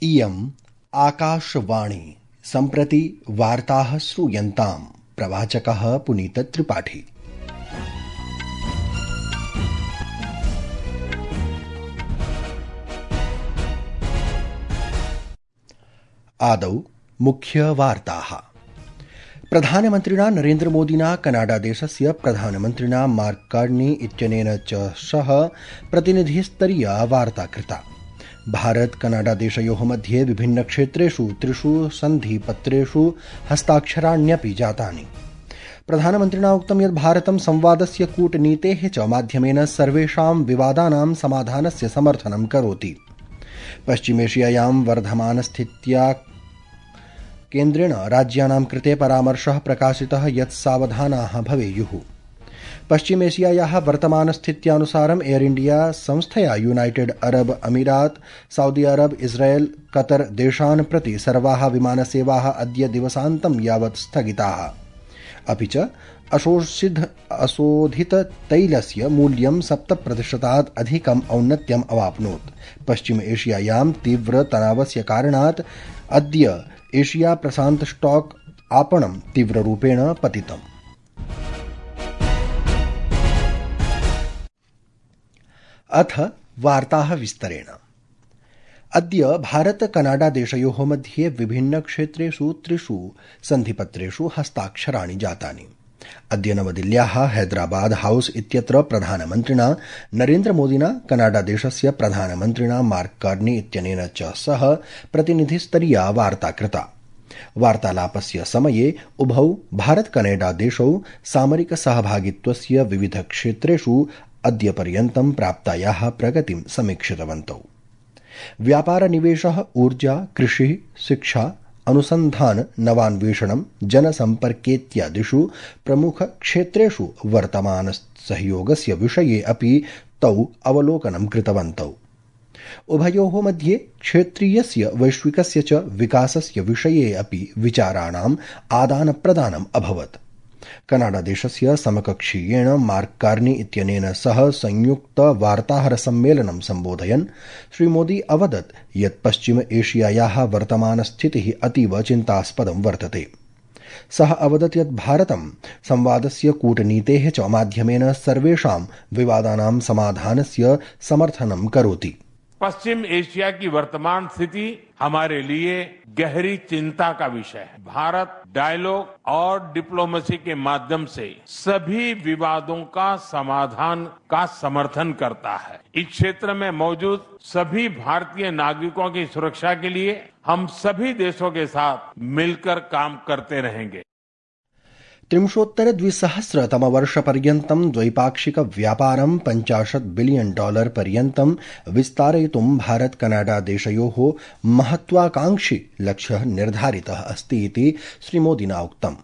इयम् आकाशवाणी सम्प्रति वार्ताः श्रूयन्ताम्। प्रवाचकः पुनीतत्रिपाठी। आदौ मुख्यवार्ताः। प्रधानमन्त्रिणा नरेन्द्रमोदिना कनाडादेशस्य प्रधानमन्त्रिणा मार्क कार्नी इत्यनेन च सह प्रतिनिधिस्तरीया वार्ता कृता। भारत कनाडादेशयोः मध्ये विभिन्नक्षेत्रेषु 3 सन्धिपत्रेषु हस्ताक्षराण्यपि जातानि। प्रधानमन्त्रिणा उक्तं यत् भारतं संवादस्य कूटनीतेः च माध्यमेन सर्वेषां विवादानां समाधानस्य समर्थनं करोति। पश्चिमेशियायां वर्धमानस्थित्या केन्द्रेण राज्यानां कृते परामर्शः प्रकाशितः यत् सावधानाः भवेयुः। पश्चिमेशियायाः वर्तमानस्थित्यानुसारम् एयर इंडिया संस्थया यूनाइटेड अरब अमीरात, सऊदी अरब, इस्राएल, कतर देशान् प्रति सर्वाः विमानसेवाः अद्य दिवसान्तं यावत् स्थगिताः। अपि च अशोधिततैलस्य मूल्यं 7% अधिकम् औन्नत्यम् अवाप्नोत्। पश्चिम एशियायां तीव्रतनावस्य कारणात् अद्य एशिया प्रशान्त स्टॉक आपणं तीव्ररूपेण पतितम्। अथ वार्ताः विस्तरेण। अद्य भारत कनाडा देशयोः मध्ये विभिन्नक्षेत्रेषु 3 सन्धिपत्रेषु हस्ताक्षराणि जातानि। अद्य नवदिल्ल्याः हैदराबाद हाउस इत्यत्र प्रधानमन्त्रिणा नरेन्द्रमोदिना कनाडादेशस्य प्रधानमन्त्रिणा मार्क कार्नी इत्यनेन च सह प्रतिनिधिस्तरीया वार्ता कृता। वार्तालापस्य समये उभौ भारत कनाडा देशौ सामरिक सहभागित्वस्य विविधक्षेत्रेषु अद्य पर्यन्तं प्राप्तायाः प्रगतिं समीक्षितवन्तौ। व्यापार निवेशः, ऊर्जा, कृषि, शिक्षा, अनुसन्धान, नवान्वेषणं, जनसम्पर्केत्यादिषु प्रमुखक्षेत्रेषु वर्तमानसहयोगस्य विषये अपि तौ अवलोकनं कृतवन्तौ। उभयोः मध्ये क्षेत्रीयस्य वैश्विकस्य च विकासस्य विषये अपि विचाराणाम् आदानप्रदानम् अभवत्। कनाडादेशस्य समकक्षीयेण मार्क कार्नी इत्यनेन सह संयुक्त वार्ताहरसम्मेलनं सम्बोधयन् श्रीमोदी अवदत् यत् पश्चिम एशियायाः वर्तमानस्थितिः अतीव चिन्तास्पदं वर्तते। सः अवदत् यत् भारतं संवादस्य कूटनीतेः च माध्यमेन सर्वेषां विवादानां समाधानस्य समर्थनं करोति। पश्चिम एशिया की वर्तमान स्थिति हमारे लिए गहरी चिंता का विषय है। भारत डायलॉग और डिप्लोमेसी के माध्यम से सभी विवादों का समाधान का समर्थन करता है। इस क्षेत्र में मौजूद सभी भारतीय नागरिकों की सुरक्षा के लिए हम सभी देशों के साथ मिलकर काम करते रहेंगे। 2030-तमवर्षपर्यन्तं द्वैपाक्षिक व्यापारं $50 बिलियन पर्यन्तं विस्तारयितुं भारत कनाडा देशयोः महत्वाकांक्षी लक्ष्यः निर्धारितः अस्ति इति श्रीमोदिना उक्तम्।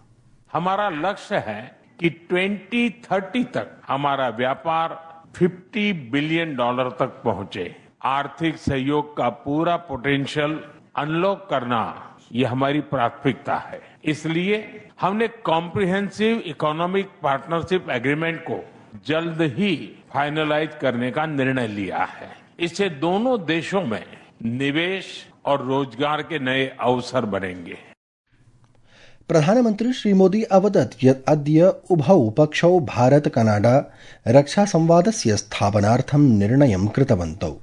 हमारा लक्ष्य है कि 2030 तक हमारा व्यापार $50 बिलियन तक पहुंचे। आर्थिक सहयोग का पूरा पोटेंशियल अनलॉक करना ये हमारी प्राथमिकता है। इसलिए हमने कॉम्प्रिहेंसिव इकोनॉमिक पार्टनरशिप एग्रीमेंट को जल्द ही फाइनलाइज करने का निर्णय लिया है। इससे दोनों देशों में निवेश और रोजगार के नए अवसर बनेंगे। प्रधानमन्त्री श्रीमोदी अवदत् यत् अद्य उभौ पक्षौ भारत कनाडा रक्षा संवादस्य स्थापनार्थं निर्णयं कृतवन्तौ।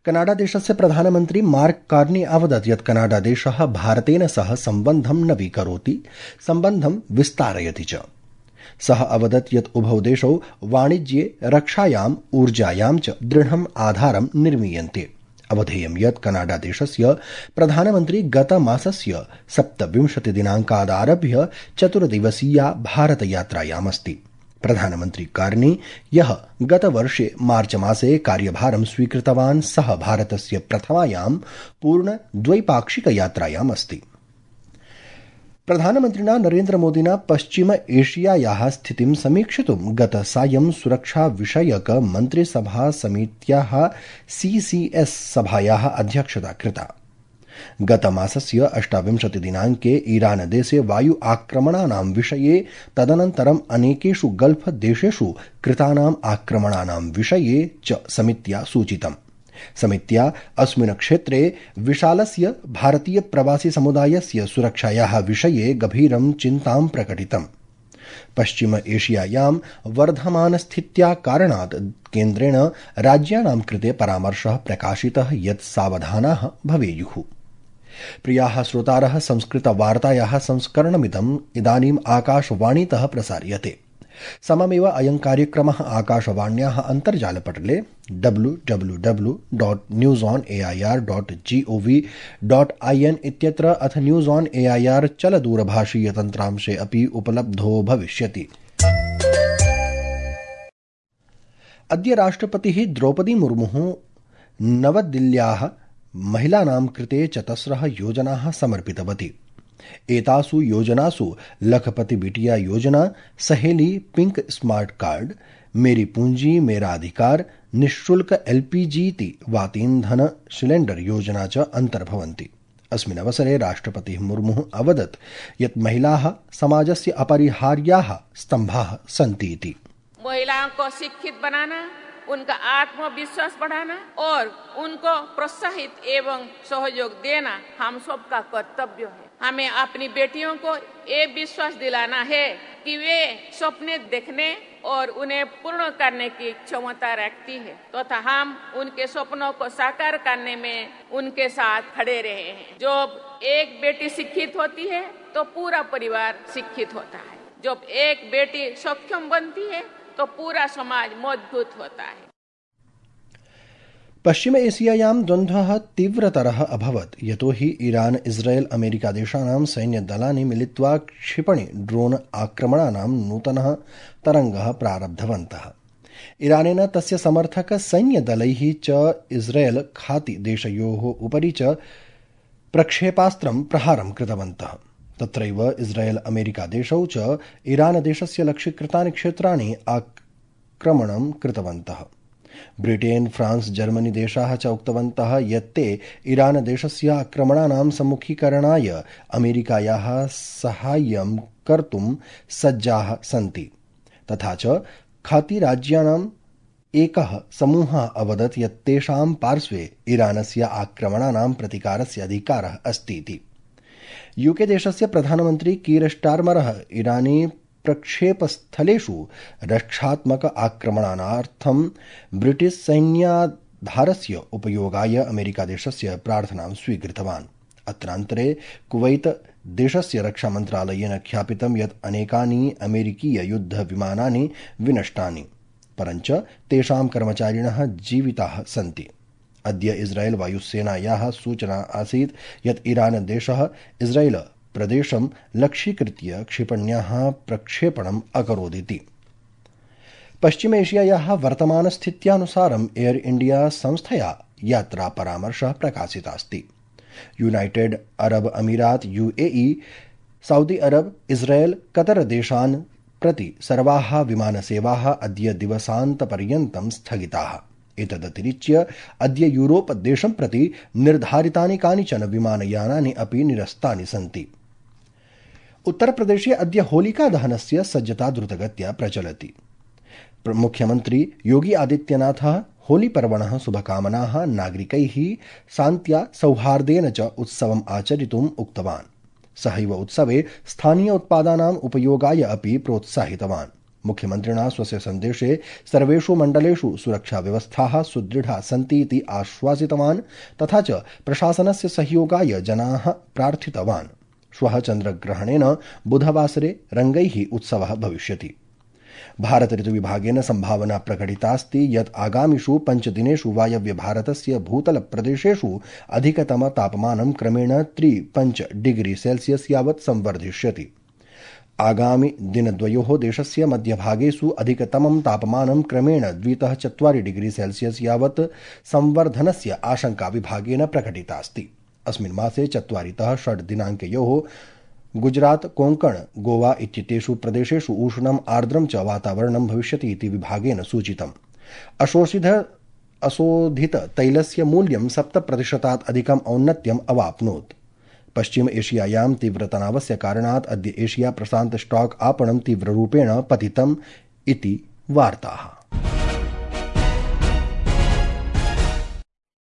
कनाडादेशस्य प्रधानमन्त्री मार्क कार्नी अवदत् यत् कनाडादेशः भारतेन सह सम्बन्धं नवीकरोति, सम्बन्धं विस्तारयति च। सः अवदत् यत् उभौ देशौ वाणिज्ये, रक्षायाम्, ऊर्जायां च दृढम् आधारं निर्मीयन्ते। अवधेयं यत् कनाडादेशस्य प्रधानमन्त्री गतमासस्य 27 दिनाङ्कादारभ्य 4 दिवसीया भारतयात्रायामस्ति। प्रधानमन्त्री कार्नी यः गतवर्षे मार्च मासे कार्यभारं स्वीकृतवान् सः भारतस्य प्रथमायां पूर्ण द्वैपाक्षिकयात्रायाम् अस्ति। प्रधानमन्त्रिणा नरेन्द्रमोदिना पश्चिम एशियायाः स्थितिं समीक्षितुं गतसायं सुरक्षाविषयक मन्त्रिसभा समित्याः CCS सभायाः अध्यक्षता कृता। गतमासस्य 28 दिनाङ्के ईरानदेशे वायु आक्रमणानां विषये, तदनन्तरम् अनेकेषु गल्फ देशेषु कृतानाम् आक्रमणानां विषये च समित्या सूचितम्। समित्या अस्मिन् क्षेत्रे विशालस्य भारतीय प्रवासी समुदायस्य सुरक्षायाः विषये गभीरं चिन्तां प्रकटितम्। पश्चिम एशियायां वर्धमानस्थित्या कारणात् केन्द्रेण राज्यानां कृते परामर्शः प्रकाशितः यत् सावधानाः भवेयुः। प्रियाः श्रोतारः, संस्कृतवार्तायाः संस्करणमिदम् इदानीम् आकाशवाणीतः प्रसार्यते। सममेव अयं कार्यक्रमः आकाशवाण्याः अन्तर्जालपटले www.newsonair.gov.in इत्यत्र अथ न्यूज़ ऑन एआईआर चलदूरभाषीय तन्त्रांशे अपि उपलब्धो भविष्यति। अद्य राष्ट्रपतिः द्रौपदी मुर्मुः नवदिल्ल्याः महिलानां कृते चतस्रः योजनाः समर्पितवती। एतासु योजनासु लखपति बिटिया योजना, सहेली पिंक स्मार्ट कार्ड, मेरी पूंजी मेरा अधिकार, निःशुल्क एलपीजी वातीन्धन सिलेण्डर योजना च अन्तर्भवन्ति। अस्मिन् अवसरे राष्ट्रपतिः मुर्मुः अवदत् यत् महिलाः समाजस्य अपरिहार्याः स्तम्भाः सन्ति इति। महिलाओं को शिक्षित बनाना, उनका आत्मविश्वास बढ़ाना और उनको प्रोत्साहित एवं सहयोग देना हम सबका कर्तव्य है। हमें अपनी बेटियों को ये विश्वास दिलाना है कि वे सपने देखने और उन्हें पूर्ण करने की क्षमता रखती है तथा हम उनके सपनों को साकार करने में उनके साथ खड़े रहे हैं। जब एक बेटी शिक्षित होती है तो पूरा परिवार शिक्षित होता है। जब एक बेटी सक्षम बनती है तो पूरा समाज मजबूत होता है। पश्चिम एशियायां द्वन्द्वः तीव्रतरः अभवत् यतोहि ईरान इस्राएल अमेरिका देशानां सैन्यदलानि मिलित्वा क्षिपणि ड्रोन आक्रमणानां नूतनः तरङ्गः प्रारब्धवन्तः। ईरानेन तस्य समर्थक सैन्यदलैः च इस्राएल खाति देशयोः उपरि च प्रक्षेपास्त्रं प्रहारं कृतवन्तः। तत्रैव इस्राएल अमेरिका देशौ च ईरान देशस्य लक्ष्यीकृतानि क्षेत्राणि आक्रमणं कृतवन्तः। ब्रिटेन, फ्रांस, जर्मनी देशाः च उक्तवन्तः यत् ते ईरान देशस्य आक्रमणानां सम्मुखीकरणाय अमेरिकायाः साहाय्यं कर्तुं सज्जाः सन्ति। तथा च खाति राज्यानाम् एकः समूहः अवदत् यत् तेषां पार्श्वे ईरानस्य आक्रमणानां प्रतिकारस्य अधिकारः अस्ति इति। यूके देशस्य प्रधानमन्त्री कीर स्टार्मरः ईरानी प्रक्षेपस्थलेषु रक्षात्मक आक्रमणार्थं ब्रिटिश सैन्याधारस्य उपयोगाय अमेरिका देशस्य प्रार्थनां स्वीकृतवान्। अत्रान्तरे कुवैत देशस्य रक्षामन्त्रालयेन ख्यापितं यत् अनेकानि अमेरिकीय युद्धविमानानि विनष्टानि, परञ्च तेषां कर्मचारिणः जीविताः सन्ति। अद्य इस्राएल वायुसेनायाः सूचना आसीत् यत् ईरान देशः इस्राएल प्रदेशं लक्ष्यीकृत्य क्षिपण्याः प्रक्षेपणम् अकरोदिति। पश्चिम एशियायाः वर्तमानस्थित्यानुसारम् एयर इंडिया संस्थया यात्रा परामर्शः प्रकाशितास्ति। यूनाइटेड अरब अमीरात यूएई, सऊदी अरब, इस्राएल, कतर देशान् प्रति सर्वाः विमानसेवाः अद्य दिवसान्तपर्यन्तं स्थगिताः। एतदतिरिच्य अद्य यूरोप देशं प्रति निर्धारितानि कानिचन विमानयानानि अपि निरस्तानि सन्ति। उत्तरप्रदेशे अद्य होलिका दहनस्य सज्जता द्रुतगत्या प्रचलति। मुख्यमन्त्री योगी आदित्यनाथः होलीपर्वणः शुभकामनाः नागरिकैः शान्त्या सौहार्देन च उत्सवम् आचरितुम् उक्तवान्। सहैव उत्सवे स्थानीय उत्पादानाम् उपयोगाय अपि प्रोत्साहितवान्। मुख्यमन्त्रिणा स्वस्य सन्देशे सर्वेषु मण्डलेषु सुरक्षाव्यवस्थाः सुदृढा सन्ति इति आश्वासितवान् तथा च प्रशासनस्य सहयोगाय जनाः प्रार्थितवान्। श्वः चन्द्रग्रहणेन बुधवासरे रङ्गैः उत्सवः भविष्यति। भारत ऋतुविभागेन सम्भावना प्रकटितास्ति यत् आगामिषु 5 दिनेषु वायव्य भारतस्य भूतलप्रदेशेषु अधिकतम तापमानं क्रमेण 3-5 डिग्री सेल्सियस् यावत् संवर्धिष्यति। आगामि दिनद्वयोः देशस्य मध्यभागेषु अधिकतमं तापमानं क्रमेण 2-4 डिग्री सेल्सियस् यावत् संवर्धनस्य आशंका विभागेन प्रकटितास्ति। अस्मिन् मासे 4-6 दिनाङ्कयोः गुजरात, कोङ्कण, गोवा इत्येतेषु प्रदेशेषु उष्णम् आर्द्रं च वातावरणं भविष्यति इति विभागेन सूचितम्। अशोधित तैलस्य मूल्यं 7% अधिकम् औन्नत्यम् अवाप्नोत्। पश्चिम एशियायां तीव्रतनावस्य कारणात् अद्य एशिया प्रशान्त स्टॉक आपणं तीव्ररूपेण पतितम् इति वार्ताः।